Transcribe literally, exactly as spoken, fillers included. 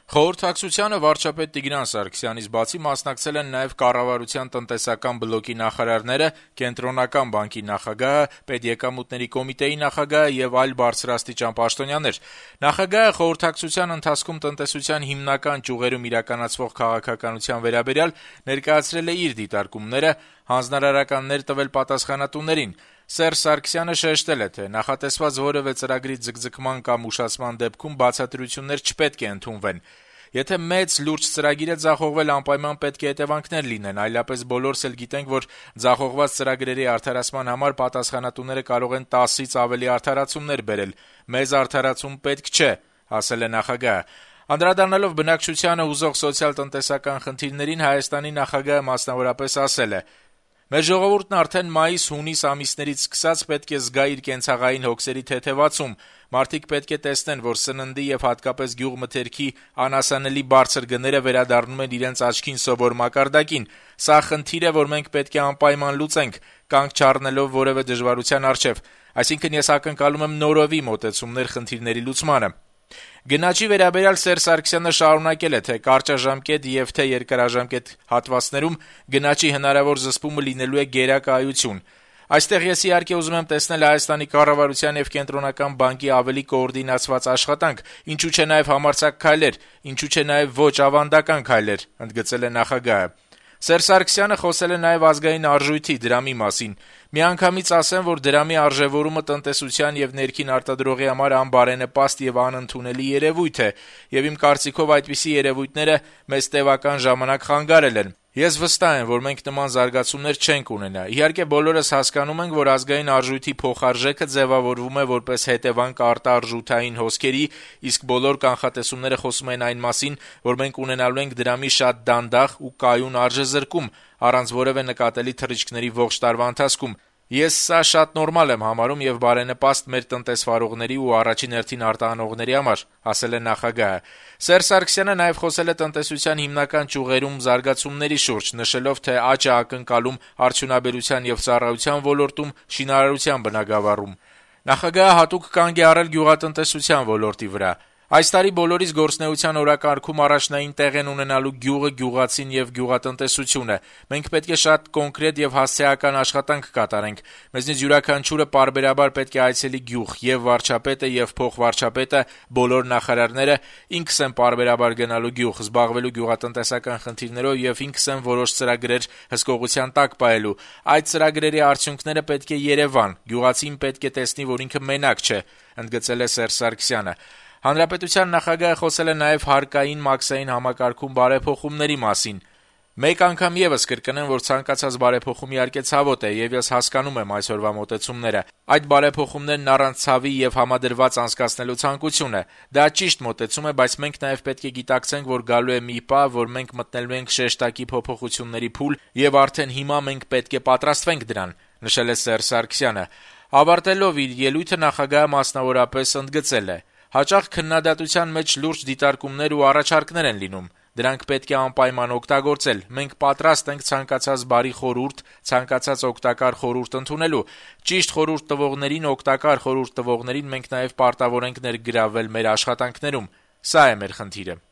Խորհրդակցությանը վարչապետ Տիգրան Սարգսյանից բացի մասնակցել են նաեւ կառավարության տնտեսական բլոկի նախարարները, Կենտրոնական բանկի նախագահը, Պետեկամուտների կոմիտեի նախագահը եւ այլ բարձրաստիճան պաշտոնյաներ։ Նախագահը խորհրդակցության ընթացքում տնտեսության հիմնական ճյուղերում իրականացվող քաղաքականության վերաբերյալ ներկայացրել է իր դիտարկումները, հանձնարարականներ տվել պատասխանատուներին։ Սերժ Սարգսյանը շեշտել է, թե նախատեսված որևէ ծրագրի ձգձգման կամ ուշացման դեպքում բացատրություններ չպետք է ընդունվեն։ Եթե մեծ լուրջ ծրագիր է ձախողվել, անպայման պետք է հետևանքներ լինեն, այլապես բոլորս էլ գիտենք, որ ձախողված ծրագրերի արդարացման համար պատասխանատուները կարող են տասից ավելի արդարացումներ բերել։ Մեզ արդարացում պետք չէ, ասել է նախագահը։ Անդրադառնալով բնակչությանը հուզող սոցիալ-տնտեսական խնդիրներին, Հայաստանի նախագահը մասնավորապես ասել է. «Մեր ժողովուրդն արդեն մայիս-հունիս ամիսներից սկսած պետք է զգա իր կենցաղային հոգսերի թեթևացում։ Մարդիկ պետք է տեսնեն, որ սննդի եւ հատկապես գյուղմթերքի անհասանելի բարձր գները վերադառնում են իրենց աչքին սովոր մակարդակին։ Սա խնդիր է, որ մենք պետք է անպայման լուծենք, կանգ չառնելով որևէ դժվարության առջեւ։ Այսինքն ես ակնկալում եմ նորովի մոտեցումներ խնդիրների լուծմանը»։ Գնաճի վերաբերյալ Սերժ Սարգսյանը շարունակել է, թե կարճաժամկետ եւ թե երկարաժամկետ հատվածներում գնաճի հնարավոր զսպումը լինելու է գերակայություն։ Այստեղ ես իհարկե ուզում եմ տեսնել Հայաստանի կառավարության եւ Կենտրոնական բանկի ավելի կոորդինացված աշխատանք, ինչու՞ չէ նաեւ համարձակ քայլեր, ինչու՞ չէ նաեւ ոչ ավանդական քայլեր, ընդգծել է նախագահը։ Սերժ Սարգսյանը խոսել է նաեւ ազգային արժույթի դրամի մասին։ Միանգամից ասեմ, որ դրամի արժեվորումը տնտեսության եւ ներքին արտադրողի համար անբարենպաստ եւ անընդունելի երևույթ է, եւ իմ կարծիքով այդպիսի երևույթները մեզ տևական ժամանակ խանգարել են։ Ես վստահ եմ, որ մենք նման զարգացումներ չենք ունենա։ Իհարկե բոլորս հասկանում ենք, որ ազգային արժույթի փոխարժեքը ձևավորվում է որպես հետևանք արտարժութային հոսքերի, իսկ բոլոր կանխատեսումները խոսում են այն մասին, որ մենք ունենալու ենք դրամի շատ դանդաղ ու կայուն արժեզրկում, առանց որևէ նկատելի թռիչքների ողջ տարվա ընթացքում։ Ես սա շատ նորմալ եմ համարում եւ բարենպաստ մեր տնտեսվարողների ու առաջին հերթին արտահանողների համար, ասել է նախագահը։ Սերժ Սարգսյանը նաեւ խոսել է տնտեսության հիմնական ճյուղերում զարգացումների շուրջ, նշելով, թե աճ է ակնկալում արդյունաբերության եւ ծառայության ոլորտում, շինարարության բնագավառում։ Նախագահը հատուկ կանգ է առել գյուղատնտեսության ոլորտի վրա։ Այս տարի բոլորիս գործնեության օրակարգում առաջնային տեղ են ունենալու գյուղը, գյուղացին եւ գյուղատնտեսությունը։ Մենք պետք է շատ կոնկրետ եւ հասցեական աշխատանք կատարենք։ Մեզնից յուրաքանչյուրը պարբերաբար պետք է այցելի գյուղ, եւ վարչապետը եւ փոխվարչապետը, բոլոր նախարարները, ինքս եմ պարբերաբար գնալու գյուղ, զբաղվելու գյուղատնտեսական խնդիրներով եւ ինքս եմ որոշ ծրագրեր հսկողության տակ պահելու։ Այդ ծրագրերի արդյունքները պետք է Երևան։ Գյուղացին պետք է տեսնի, որ ինքը մենակ չէ, ընդգծել է Սերժ Սարգսյանը։ Հանրապետության նախագահը խոսել է նաեւ հարկային մաքսային համակարգում բարեփոխումների մասին։ Մեկ անգամ եւս կրկնեմ, որ ցանկացած բարեփոխում իհարկե ցավոտ է, եւ ես հասկանում եմ այսօրվա մոտեցումները։ Այդ բարեփոխումներն առանց ցավի եւ համադրված անցկացնելու ցանկություն է։ Դա ճիշտ մոտեցում է, բայց մենք նաեւ պետք է գիտակցենք, որ գալու է մի պահ, որ մենք մտնելու ենք շեշտակի փոփոխությունների փուլ, եւ արդեն հիմա մենք պետք է պատրաստվենք դրան, նշել է Սերժ Սարգսյանը։ Ավարտելով իր ելույթը նախագահը մասնավորապես ընդգծել է. «Հաճախ քննադատության մեջ լուրջ դիտարկումներ ու առաջարկներ են լինում։ Դրանք պետք է անպայման օգտագործել։ Մենք պատրաստ ենք ցանկացած բարի խորհուրդ, ցանկացած օգտակար խորհուրդ ընդունելու։ Ճիշտ խորհուրդ տվողներին, օգտակար խորհուրդ տվողներին մենք նաև պարտավոր ենք ներգրավել մեր աշխատանքներում։ Սա է մեր խնդիրը»։